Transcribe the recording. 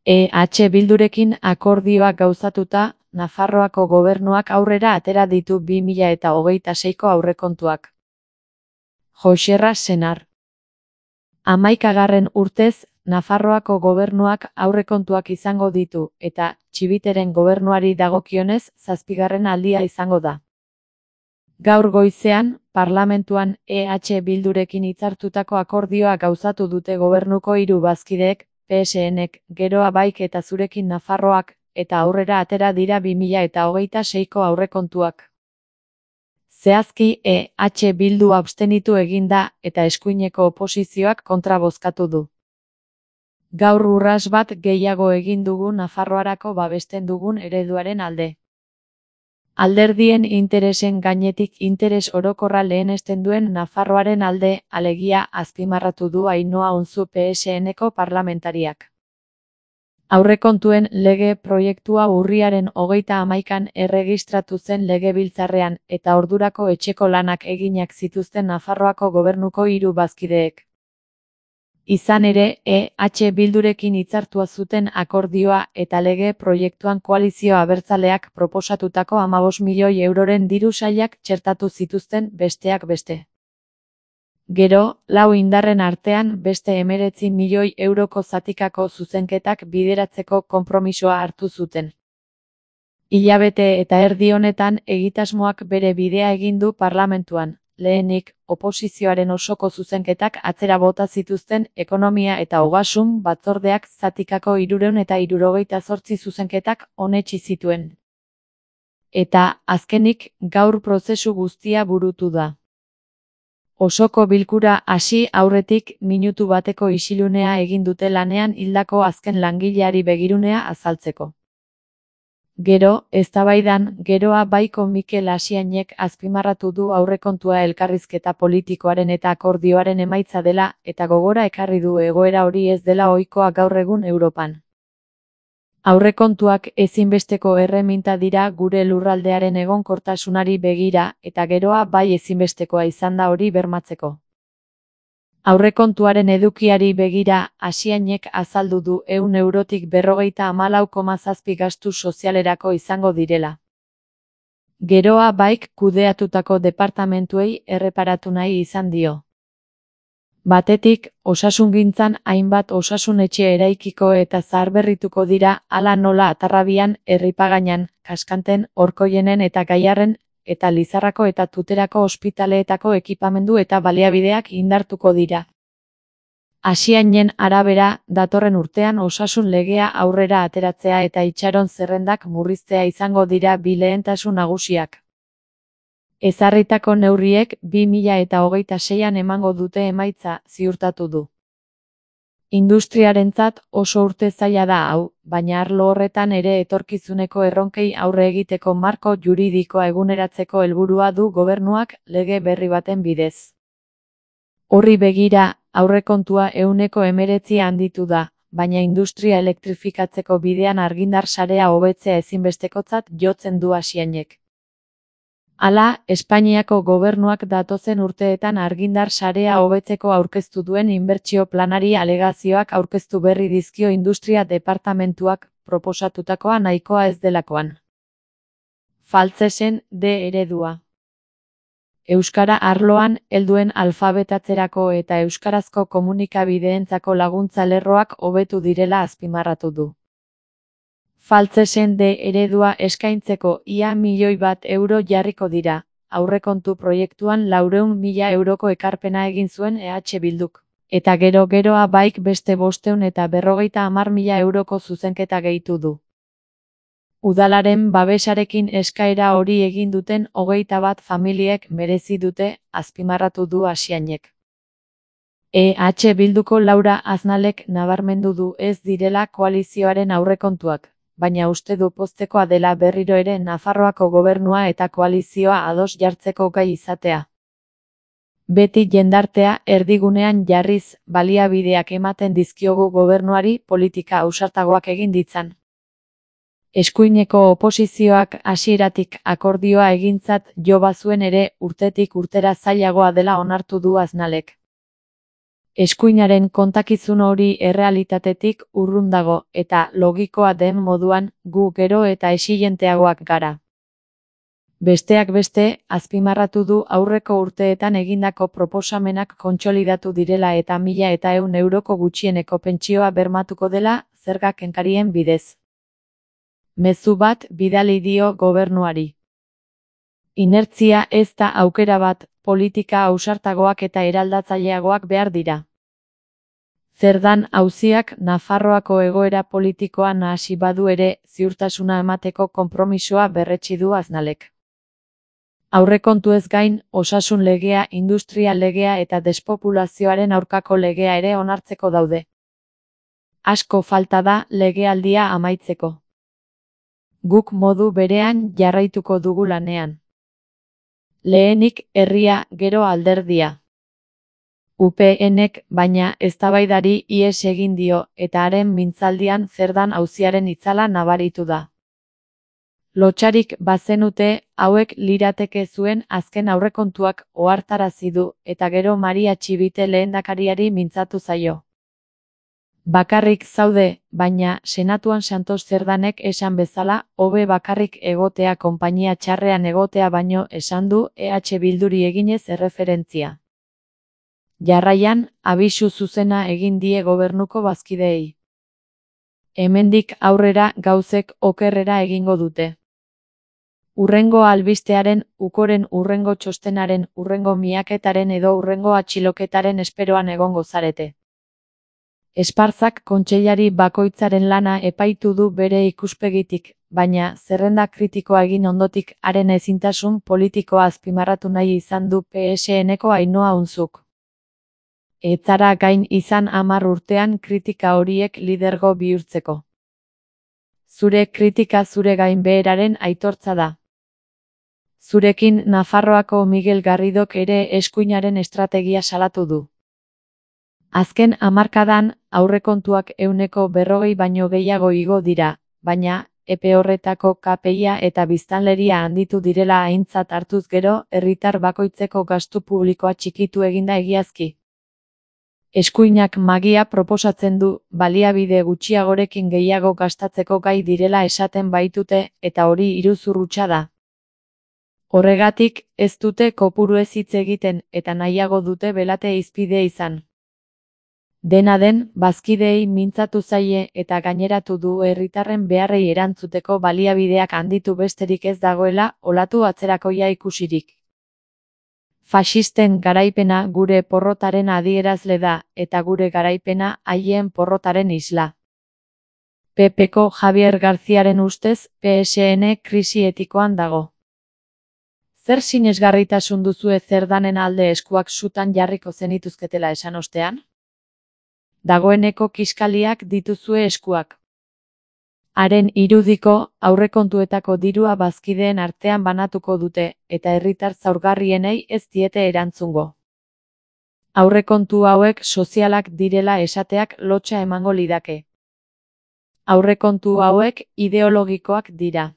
Bildurekin akordioa gauzatuta, Nafarroako gobernuak aurrera atera ditu 2026ko aurrekontuak. Joxerra Senar. 11. urtez, Nafarroako gobernuak aurrekontuak izango ditu, eta Txibiteren gobernuari dagokionez 7. aldia izango da. Gaur goizean, parlamentuan Bildurekin hitzartutako akordioa gauzatu dute gobernuko 3 bazkideek, PSNek, Geroa Baik eta Zurekin Nafarroak, eta aurrera atera dira 2026ko aurrekontuak. Zehazki, Bildu abstenitu egin da, eta eskuineko oposizioak kontra bozkatu du. Gaur urrats bat gehiago egin dugu Nafarroarako babesten dugun ereduaren alde. Alderdien interesen gainetik interes orokorra lehenesten duen Nafarroaren alde, alegia, azpimarratu du Ainhoa Unzu PSNeko parlamentariak. Aurrekontuen lege proiektua urriaren 31an erregistratu zen Legebiltzarrean, eta ordurako etxeko lanak eginak zituzten Nafarroako gobernuko 3 bazkideek. Izan ere, Bildurekin hitzartua zuten akordioa eta lege proiektuan koalizio abertzaleak proposatutako 15 milioi euroren diru sailak txertatu zituzten besteak beste. Gero, 4 indarren artean beste 19 milioi euroko zatikako zuzenketak bideratzeko konpromisoa hartu zuten. Hilabete eta erdi honetan egitasmoak bere bidea egin du parlamentuan. Lehenik, oposizioaren osoko zuzenketak atzera bota zituzten Ekonomia eta Ogasun batzordeak zatikako 378 zuzenketak onetsi zituen. Eta, azkenik, gaur prozesu guztia burutu da. Osoko bilkura hasi aurretik minutu bateko isilunea egin dute lanean hildako azken langileari begirunea azaltzeko. Gero, eztabaidan, Geroa Baiko Mikel Asiainek azpimarratu du aurrekontua elkarrizketa politikoaren eta akordioaren emaitza dela, eta gogora ekarri du egoera hori ez dela ohikoa gaur egun Europan. Aurrekontuak ezinbesteko erreminta dira gure lurraldearen egonkortasunari begira, eta Geroa Bai ezinbestekoa izan da hori bermatzeko. Aurrekontuaren edukiari begira, Asiainek azaldu du 100 eurotik 54,7 gastu sozialerako izango direla. Geroa Baik kudeatutako departamentuei erreparatu nahi izan dio. Batetik, osasungintzan hainbat osasun etxe eraikiko eta zaharberrituko dira, hala nola Atarrabian, Erripagainan, Kaskanten, Orkoienen eta Gaiarren, eta Lizarrako eta Tuterako ospitaleetako ekipamendu eta baliabideak indartuko dira. Asiainen arabera, datorren urtean osasun legea aurrera ateratzea eta itxaron zerrendak murriztea izango dira bi lehentasun nagusiak. Ezarritako neurriek 2026an emango dute emaitza, ziurtatu du. Industriarentzat oso urte zaila da hau, baina arlo horretan ere etorkizuneko erronkei aurre egiteko marko juridikoa eguneratzeko helburua du gobernuak lege berri baten bidez. Horri begira, aurrekontua 19 handitu da, baina industria elektrifikatzeko bidean argindar sarea hobetzea ezinbestekotzat jotzen du Asiainek. Hala, Espainiako gobernuak datozen urteetan argindar sarea hobetzeko aurkeztu duen inbertsio planari alegazioak aurkeztu berri dizkio industria departamentuak proposatutakoa nahikoa ez delakoan. Faltsesen D eredua. Euskara arloan, helduen alfabetatzerako eta euskarazko komunikabideentzako laguntza lerroak hobetu direla azpimarratu du. Faltsesen D eredua eskaintzeko ia 1 milioi euro jarriko dira, aurrekontu proiektuan 400.000 euroko ekarpena egin zuen Bilduk, eta Geroa Baik beste 550.000 euroko zuzenketa gehitu du. Udalaren babesarekin eskaera hori egin duten 21 familiek merezi dute, azpimarratu du Asiainek. Bilduko Laura Aznalek nabarmendu du ez direla koalizioaren aurrekontuak, baina uste du poztekoa dela berriro ere Nafarroako gobernua eta koalizioa ados jartzeko gai izatea. Beti jendartea erdigunean jarriz, baliabideak ematen dizkiogu gobernuari politika ausartagoak egin ditzan. Eskuineko oposizioak hasieratik akordioa egintzat jo bazuen ere urtetik urtera zailagoa dela onartu du Aznalek. Eskuinaren kontakizun hori errealitatetik urrun dago eta logikoa den moduan gu gero eta exigenteagoak gara. Besteak beste, azpimarratu du aurreko urteetan egindako proposamenak kontsolidatu direla eta 1.100 euroko gutxieneko pentsioa bermatuko dela zerga kenkarien bidez. Mezu bat bidali dio gobernuari. Inertzia ez da aukera bat, politika ausartagoak eta eraldatzaileagoak behar dira. Zerdan auziak Nafarroako egoera politikoa nahasi badu ere, ziurtasuna emateko konpromisoa berretsi du Aznalek. Aurrekontuez gain, osasun legea, industria legea eta despopulazioaren aurkako legea ere onartzeko daude. Asko falta da legealdia amaitzeko. Guk modu berean jarraituko dugu lanean. Lehenik herria, gero alderdia. UPNek, baina, eztabaidari ihes egin dio eta haren mintzaldian zerdan auziaren itzala nabaritu da. Lotsarik bazenute, hauek lirateke zuen azken aurrekontuak ohartarazi du eta gero Maria Txibite lehendakariari mintzatu zaio. Bakarrik zaude, baina Senatuan Santos Zerdanek esan bezala, hobe bakarrik egotea konpainia txarrean egotea baino esan du EH Bilduri eginez erreferentzia. Jarraian, abisu zuzena egin die gobernuko bazkideei. Hemendik aurrera gauzek okerrera egingo dute. Hurrengo albistearen, ukoren hurrengo txostenaren, hurrengo miaketaren edo hurrengo atxiloketaren esperoan egongo zarete. Esparzak kontseilari bakoitzaren lana epaitu du bere ikuspegitik, baina zerrenda kritikoa egin ondotik haren ezintasun politikoa azpimarratu nahi izan du PSNeko Ainhoa Unzuk. Ez zara gain izan 10 urtean kritika horiek lidergo bihurtzeko. Zure kritika zure gainbeheraren aitortza da. Zurekin Nafarroako Miguel Garridok ere eskuinaren estrategia salatu du. Azken hamarkadan, aurrekontuak 40% baino gehiago igo dira, baina, epe horretako KPIa eta biztanleria handitu direla aintzat hartuz gero, herritar bakoitzeko gastu publikoa txikitu eginda egiazki. Eskuinak magia proposatzen du, baliabide gutxiagorekin gehiago gastatzeko gai direla esaten baitute, eta hori iruzur hutsa da. Horregatik, ez dute kopuruez hitz egiten, eta nahiago dute belate hizpide izan. Dena den, bazkideei mintzatu zaie eta gaineratu du herritarren beharrei erantzuteko baliabideak handitu besterik ez dagoela, olatu atzerakoia ikusirik. Faxisten garaipena gure porrotaren adierazle da, eta gure garaipena haien porrotaren isla. PPko Javier Garziaren ustez, PSN krisi etikoan dago. Zer sinesgarritasun duzue Zerdanen alde eskuak sutan jarriko zenituzketela esan ostean? Dagoeneko kiskaliak dituzue eskuak. Haren irudiko, aurrekontuetako dirua bazkideen artean banatuko dute, eta herritar zaurgarrienei ez diete erantzungo. Aurrekontu hauek sozialak direla esateak lotsa emango lidake. Aurrekontu hauek ideologikoak dira.